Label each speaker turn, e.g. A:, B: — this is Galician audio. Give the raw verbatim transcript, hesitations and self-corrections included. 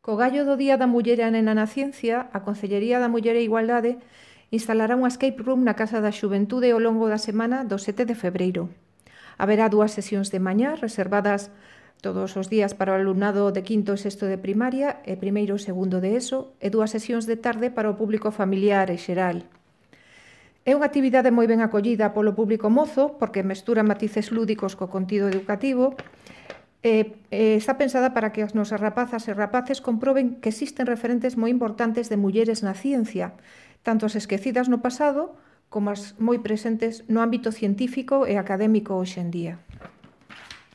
A: Co gallo do Día da Muller e a Nena na Ciencia, a Concellería da Muller e Igualdade instalará unha escape room na Casa da Xuventude ao longo da semana do sete de febreiro. Haberá dúas sesións de mañá reservadas todos os días para o alumnado de quinto e sexto de primaria e primeiro e segundo de ESO e dúas sesións de tarde para o público familiar e xeral. É unha actividade moi ben acollida polo público mozo porque mestura matices lúdicos co contido educativo e, e está pensada para que as nosas rapazas e rapaces comproben que existen referentes moi importantes de mulleres na ciencia, tanto as esquecidas no pasado como as moi presentes no ámbito científico e académico hoxe en día.